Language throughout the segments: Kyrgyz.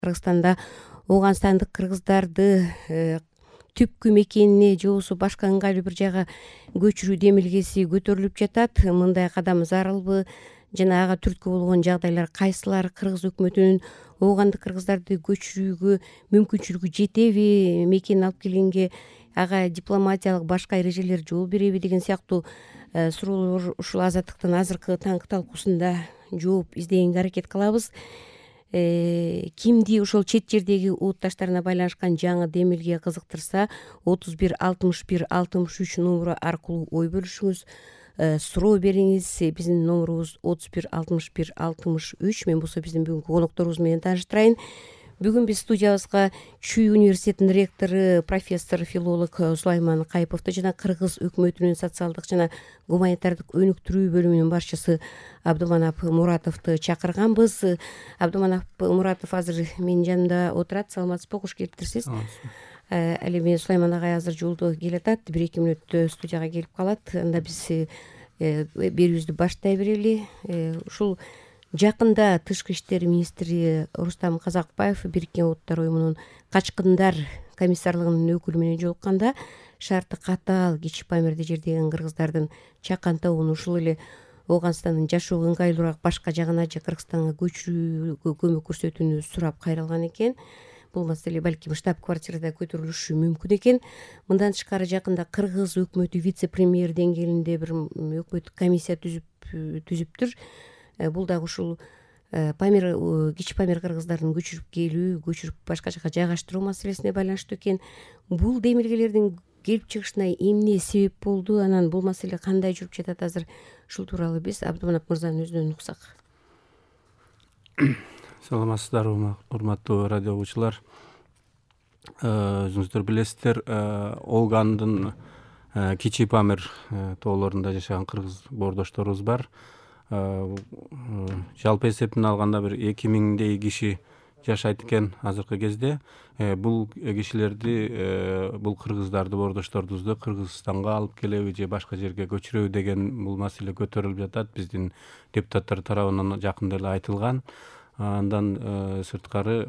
Кыргызстанда ооганстандык кыргыздарды түпкү мекенине же болбосо башка ыңгайлуу бир жайга көчүрүү демилгеси көтөрүлүп жатат. Мындай кадам зарылбы жана ага түрткү болгон жагдайлар кайсылар? Кыргыз өкмөтүнүн оогандык кыргыздарды көчүрүүгө мүмкүнчүлүгү жетеби? Мекенин алып келгенге ага дипломатиялык башка эрежелер жол береби деген сыяктуу суроолор ушул Азаттыктын азыркы таңкы талкуусунда жооп издегенге аракет кылабыз. Кимди ошол чет жердеги урутташтарына байланышкан жаңы демилге кызыктырса 31 61 63 номеру аркылуу ой бөлүшүңүз, суроо бериңиз. Биздин номерубуз 31 61 63. Мен болсо биздин бүгүнкү конокторубуз менен тааныштырайын. Бүгүн биз студиябызга Чүй университетинин ректору профессор филолог Сулайман Кайыповду жана Кыргыз өкмөтүнүн социалдык жана гуманитардык өнүктүрүү бөлүмүнүн башчысы Абдуманап Муратовду чакырганбыз. Абдуманап Муратов азыр менин жанымда отурат. Саламатсызбы, кош келиптирсиз. Ал эми Сулайман агай азыр жолдо келатат, 1-2 мүнөттө студияга келип калат. Анда биз берүүбүздү баштай берели. Ушул жакында Тышкы иштер министри Рустам Казакбаев Бириккен Улуттар уюмунун качкындар комиссарлыгынын өкүлү менен жолукканда шарты катаал Кичи Памирде жердеген кыргыздардын чакан тобун ушул эле Ооганстандын жашоого ыңгайлуураак башка жагына же Кыргызстанга көчүрүүгө көмөк көрсөтүүнү сурап кайрылган экен. Бул маселе балким штаб-квартирада көтөрүлүшү мүмкүн экен. Мындан тышкары жакында Кыргыз өкмөтү вице-премьер деңгээлинде бир өкмөттүк комиссия түзүптүр. Бул дагы ушул Кичи Памир кыргыздарын көчүрүп келүү, көчүрүп башка жака жайгаштыруу маселесине байланыштуу экен. Бул демилгелердин келип чыгышына эмне себеп болду? Анан бул маселе кандай жүрүп жатат азыр? Ушул тууралуу биз Абдуманап мырзанын өзүнөн уксак. Саламатсыздарбы, урматтуу радио угуучулар. Өзүңүздөр билесиздер, Оогандын Кичи Памир тоолорунда жашаган кыргыз боордошторубуз бар. Жалпы эсептен алганда бир 2000дей киши жашайт экен азыркы кезде. Бул кишилерди, бул кыргыздарды, боордошторубузду Кыргызстанга алып келеби же башка жерге көчүрөбү деген бул маселе көтөрүлүп жатат. Биздин депутаттар тарабынан жакында эле айтылган. Андан сырткары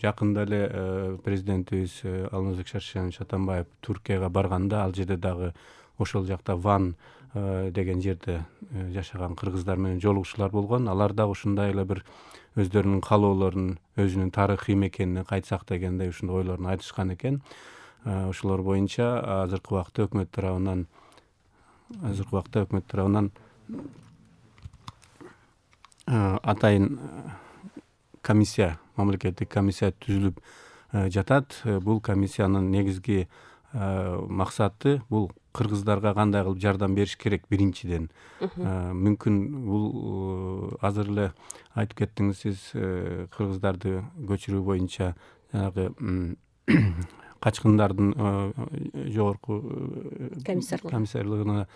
жакында эле президентибиз Алмазбек Шаршенович Атамбаев Туркияга барганда ал жерде дагы ошол жакта Ван деген жерде жашаган кыргыздар менен жолугушуулар болгон. Алар да ушундай эле бир өздөрүнүн каалоолорун, өзүнүн тарыхый мекенине кайтсак дегендей ушундай ойлорун айтышкан экен. Ошолор боюнча азыркы убакта өкмөт тарабынан атайын комиссия, мамлекеттик комиссия түзүлүп жатат. Бул комиссиянын негизги максаты бул кыргыздарга кандай кылып жардам бериш керек биринчиден. Мүмкүн бул азыр эле айтып кеттиңиз сиз, кыргыздарды көчүрүү боюнча жанагы качкындардын жогорку комиссарлыгына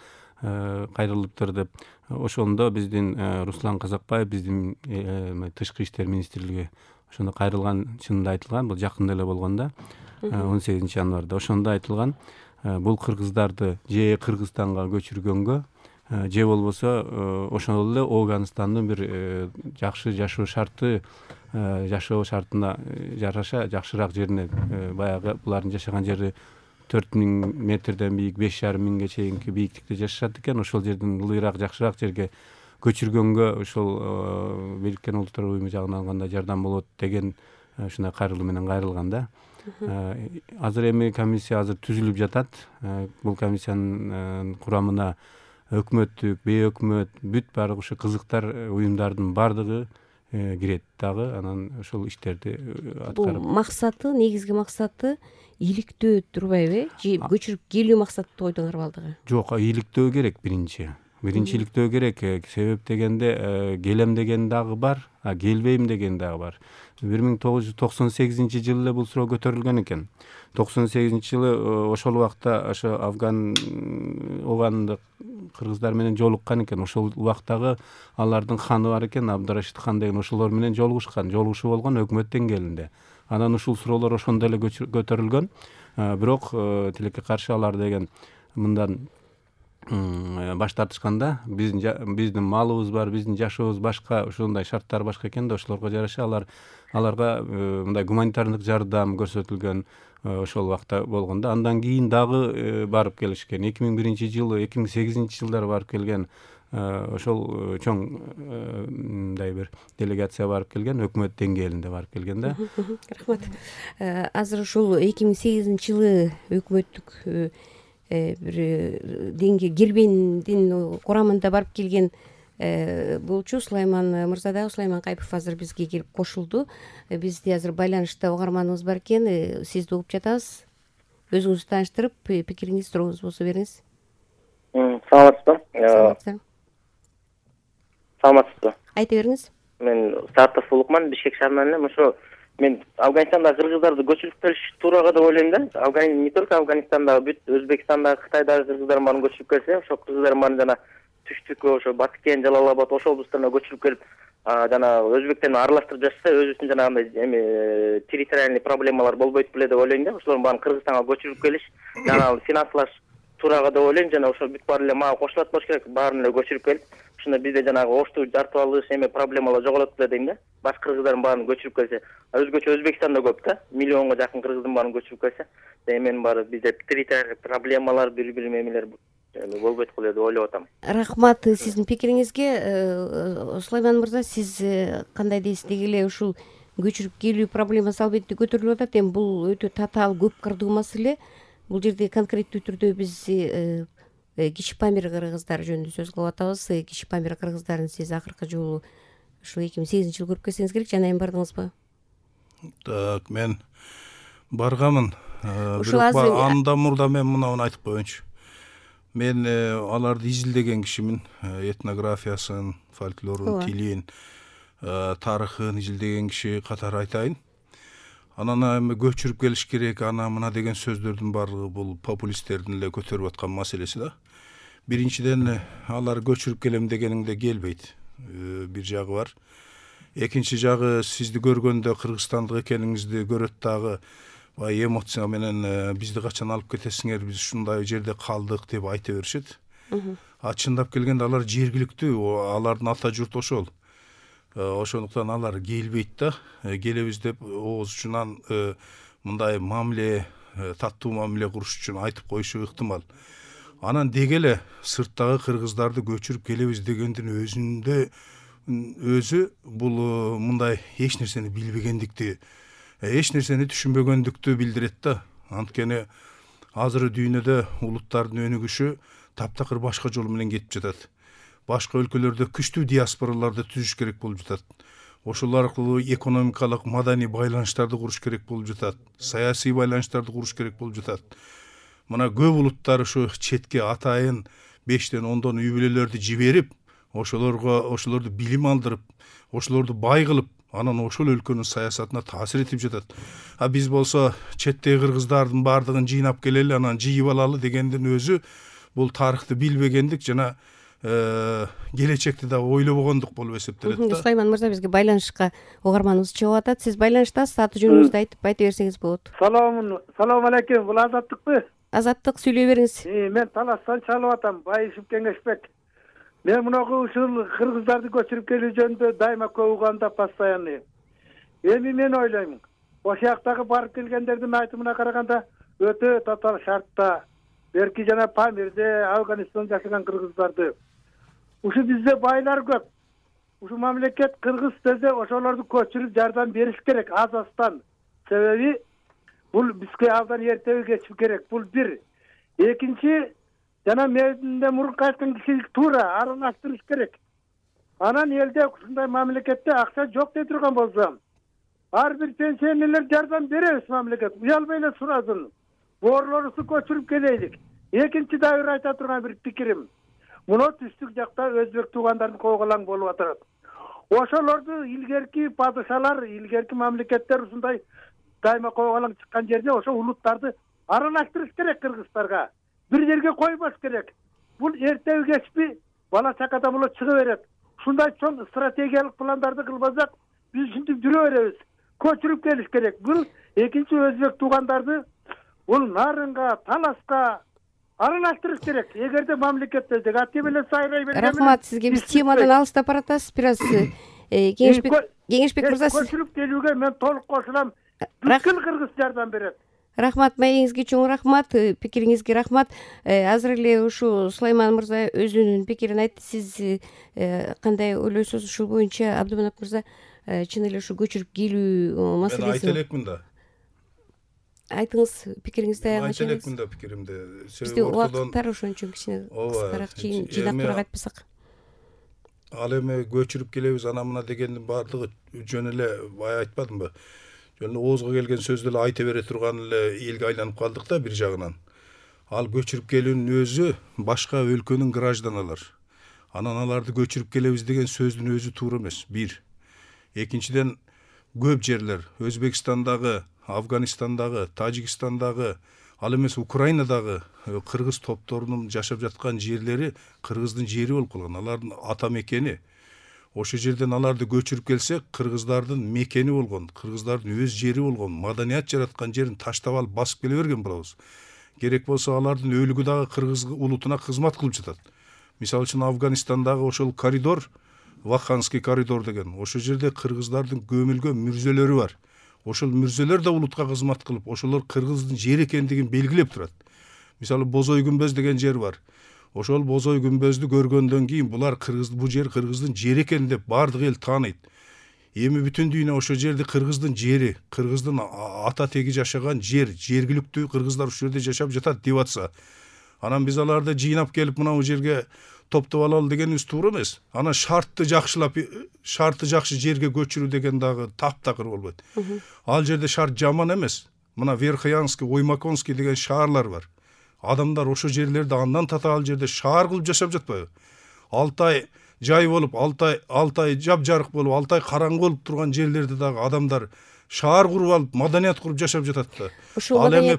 кайрылыптыр деп. Ошондо биздин Руслан Казакбаев, биздин Тышкы иштер министрлиги ошондо кайрылган, чынында айтылган, бул жакында эле болгон да, 18 январда. Ошондо айтылган, бул кыргыздарды же Кыргызстанга көчүргөнгө же болбосо ошол эле Ооганстандын бир жакшы жашоо шартына жараша жакшыраак жерине, баягы булардын жашаган жери 4000 метрден бийик, 5500 чейинки бийиктикте жашашат экен. Ошол жерден ылыйраак, жакшыраак жерге көчүргөнгө ошол Бириккен Улуттар уюму жагынан алганда жардам болот деген ушундай кайрылуу менен кайрылган да. Азыр эми комиссия азыр түзүлүп жатат. Бул комиссиянын курамына өкмөттүк, бейөкмөт, бүт баары ушу кызыктар уюмдардын баардыгы кирет дагы. Анан ошол иштерди аткарып. Бул максаты, негизги максаты ийгиликтөө турбайбы? Же көчүрүп келүү максаты ойдоңор балдыгы? Жок, ийгиликтөө керек биринчи ийгиликтөө керек. Себеп дегенде келем деген дагы бар, келбейм деген дагы бар. 1998 жылы эле бул суроо көтөрүлгөн экен. 98 жылы ошол убакта ошо Оогандык кыргыздар менен жолуккан экен. Ошол убактагы алардын ханы бар экен, Абдырашид хан деген, ошолор менен жолугушуу болгон өкмөт деңгээлинде. Анан ушул суроолор ошондо эле көтөрүлгөн. Бирок тилекке каршы алар деген мындан баш тартышканда биздин малыбыз бар, биздин жашообуз башка, ошондой шарттар башка экен да, ошолорго жараша аларга мындай гуманитардык жардам көрсөтүлгөн ошол убакта болгондо. Андан кийин дагы барып келишкен. 2001-жылы, 2008-жылдары барып келген. Ошол чоң мындай бир делегация барып келген, өкмөт деңгээлинде барып келген да. Рахмат. Азыр ушул 2008-жылы өкмөттүк бир Гербендин курамында барып келген болчу Сулайман мырза дагы, Сулайман Кайпов азыр бизге келип кошулду. Бизде азыр байланышта угарманыбыз бар экен, сизди угуп жатабыз. Өзүңүздү тааныштырып, пикириңиз, сурооңуз болсо бериңиз. Саламатсызбы? Саламатсызбы? Айта бериңиз. Мен Сартов Улукман, Бишкек шаарынан элем. Ошо мен Афганистанда кыргыздарды көчүрүп келиш туурага деп ойлойм да. Не только Афганистандагы, бүт Өзбекстандагы, Кытайдагы кыргыздардын баарын көчүрүп келсе, ошо кыргыздардын баарын жана түштүккө, ошо Баткен, Жалал-Абад, ошол облустарына көчүрүп келип, жана өзбектермен аралаштырып жашаса, өзүбүздүн жанагындай территориальный проблемалар болбойт беле деп ойлойм да. Ошолордун баарын Кыргызстанга көчүрүп келиш, жана финансылаш туурага деп ойлойм. Жана ошо бүт баары эле мага кошулат болуш керек, баарын эле көчүрүп келип, ошондо бизде жанагы оштуу жартып алыш проблемалар жоголот беле дейм да. Башка кыргыздардын баарын көчүрүп келсе, өзгөчө Өзбекстанда көп да, миллионго жакын кыргыздын баарын көчүрүп келсе, эменин баары бизде территориальный проблемалар, бири-бири эмелер болбойт го деп ойлоп атам. Рахмат сиздин пикириңизге. Сулайман мырза, сиз кандай дейсиз? Деги эле ушул көчүрүп келүү проблемасы албетте көтөрүлүп атат. Эми бул өтө татаал, көп кырдуу маселе. Бул жерде конкреттүү түрдө биз Кичи Памир кыргыздары жөнүндө сөз кылып атабыз. Кичи Памир кыргыздарын сиз акыркы жолу ушул 2008-жылы көрүп келсеңиз керек, жана эми бардыңызбы? Так, мен барганмын. Ушул азыр андан мурда мен мынауну айтып коеюнчу. Мен аларды изилдеген кишимин, этнографиясын, фольклорун, тилин, тарыхын изилдеген киши катары айтайын. Анан эми көчүрүп келиш керек, ана мына деген сөздөрдүн баардыгы бул популисттердин эле көтөрүп аткан маселеси да. Биринчиден алар көчүрүп келем дегениңде келбейт. Бир жагы бар. Экинчи жагы, сизди көргөндө кыргызстандык экениңизди көрөт дагы, эмоция менен бизди качан алып кетесиңер, биз ушундай жерде калдык деп айта беришет. Чындап келгенде алар жергиликтүү, алардын ата журту ошол. Ошондуктан алар келбейт да. Келебиз деп ооз учунан мындай мамиле, таттуу мамиле куруш үчүн айтып коюшу ыктымал. Анан деги эле сырттагы кыргыздарды көчүрүп келебиз дегендин өзү бул мындай эч нерсени билбегендикти, эч нерсени түшүнбөгөндүктү билдирет да. Анткени азыр дүйнөдө улуттардын өнүгүшү таптакыр башка жол менен кетип жатат. Башка өлкөлөрдө күчтүү диаспораларды түзүш керек болуп жатат. Ошол аркылуу экономикалык, маданий байланыштарды куруш керек болуп жатат. Саясий байланыштарды куруш керек болуп жатат. Мына көп улуттар ушу четке атайын 5тен 10дон үй бүлөлөрдү жиберип, ошолорду билим алдырып, ошолорду бай кылып, анан ошол өлкөнүн саясатына таасир этип жатат. Биз болсо четтеги кыргыздардын баардыгын жыйнап келели, анан жыйып алалы дегендин өзү бул тарыхты билбегендик жана келечекти да ойлобогондук болуп эсептелет да. Сулайман мырза, бизге байланышка угарманыбыз чыгып атат. Сиз байланыштасыз, аты жөнүңүздү айтып айта берсеңиз болот. Салам алейкум, бул Азаттыкпы? Азаттык, сүйлөй бериңиз. Мен Таластан чалып атам, Байышев Кеңешбек. Мен мунагу ушул кыргыздарды көчүрүп келүү жөнүндө дайыма көп уганда постоянный. Эми мен ойлойм, ошол жактагы барып келгендердин айтымына караганда өтө татаал шартта, берки жана Памирде, Афганистанда жашаган кыргыздарды. Ушу бизде байлар көп. Ушу мамлекет кыргыз десе ошолорду көчүрүп жардам бериш керек азастан. Себеби бул бизге абдан эртеби кечип керек. Бул бир. Экинчи, жана менден мурунку айткан кишилик туура аралаштырыш керек. Анан элде ушундай мамлекетте акча жок дей турган болсо, ар бир пенсионерлер жардам беребиз мамлекет. Уялбай эле сурасын. Боорлорубузду көчүрүп келейлик. Экинчи дагы бир айта турган бир пикирим. Муну түштүк жакта өзбек туугандардын койголаң болуп атат. Ошолорду илгерки падышалар, илгерки мамлекеттер ушундай дайыма койголаң чыккан жерде ошо улуттарды аралаштырыш керек кыргыздарга. Бир жерге койбош керек. Бул эртеби кечпи бала чакада боло чыга берет. Ушундай чоң стратегиялык пландарды кылбасак, биз ушинтип жүрө беребиз. Көчүрүп келиш керек. Бул экинчи өзбек туугандарды бул Нарынга, Таласка, аралаштырыш керек. Эгерде мамлекетте ати менен сайрай берген. Рахмат сизге. Биз темадан алыстап баратабыз бир аз. Кеңешбек мырза, сиз көчүрүп келүүгө мен толук кошулам. Бүткүл кыргыз жардам берет. Рахмат, маегиңизге чоң рахмат, пикириңизге рахмат. Азыр эле ушу Сулайман мырза өзүнүн пикирин айтты. Сиз кандай ойлойсуз ушул боюнча? Абдыманап мырза, чын эле ушу көчүрүп келүү маселеси. Мен айта элекмин да. Айтыңыз пикириңизди Айта элекмин да пикиримди. Бизде убакыттар ошон үчүн кичине кыскараак жыйнактуураак айтпасак. Ал эми көчүрүп келебиз ана мына дегендин баардыгы жөн эле бая айтпадымбы? Жөн эле оозго келген сөздү эле айта бере турган эле элге айланып калдык да бир жагынан. Ал көчүрүп келүүнүн өзү башка өлкөнүн гражданалар. Анан аларды көчүрүп келебиз деген сөздүн өзү туура эмес. Бир. Экинчиден көп жерлер Өзбекстандагы, Афганистандагы, Тажикстандагы, ал эмес Украинадагы кыргыз топторунун жашап жаткан жерлери кыргыздын жери болуп калган. Алардын ата мекени. Ошол жерден аларды көчүрүп келсек, кыргыздардын мекени болгон, кыргыздардын өз жери болгон, маданият жараткан жерин таштап алып басып келе берген болобуз. Керек болсо алардын өлүгү дагы кыргыз улутуна кызмат кылып жатат. Мисалы үчүн Афганистандагы ошол коридор, Ваханский коридор деген, ошол жерде кыргыздардын көмүлгөн мүрзөлөрү бар. Ошол мүрзөлөр да улутка кызмат кылып, ошолор кыргыздын жери экендигин белгилеп турат. Мисалы Бозой күмбөз деген жер бар. Ошол Бозой күмбөздү көргөндөн кийин булар бул жер кыргыздын жери экен деп баардык эл тааныйт. Эми бүтүн дүйнө ошол жерди кыргыздын жери, кыргыздын ата теги жашаган жер, жергиликтүү кыргыздар ушул жерде жашап жатат деп атса, анан биз аларды жыйнап келип мына бул жерге топтоп алалы дегенибиз туура эмес. Анан шарты жакшы жерге көчүрүү деген дагы таптакыр болбойт. Ал жерде шарт жаман эмес. Мына Верхоянский, Оймаконский деген шаарлар бар. Адамдар ошол жерлерде андан татаал жерде шаар кылып жашап жатпайбы? Алтай жай болуп, Алтай жапжарык болуп, Алтай караңгы болуп турган жерлерде дагы адамдар шаар куруп алып, маданият куруп жашап жатат да. Ал эми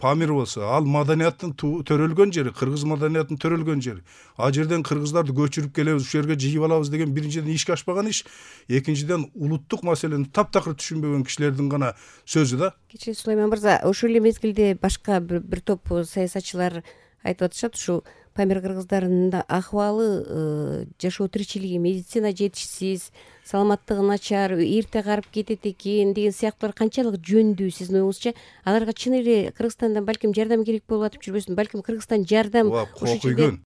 Памир болсо, ал маданияттын төрөлгөн жери, кыргыз маданиятынын төрөлгөн жери. А жерден кыргыздарды көчүрүп келебиз, ушул жерге жыйып алабыз деген биринчиден ишке ашпаган иш, экинчиден улуттук маселени таптакыр түшүнбөгөн кишилердин гана сөзү да. Кичи Сулайман мырза, ошол эле мезгилде башка бир топ саясатчылар айтып атышат, ушул Памир кыргыздарынын да акыбалы, жашоо тиричилиги, медицина жетишсиз, саламаттыгы начар, эрте карып кетет экен деген сыяктуулар канчалык жөндүү сиздин оюңузча? Аларга чын эле Кыргызстандан балким жардам керек болуп атып жүрбөсүн? Балким Кыргызстан жардам кок үйгөн.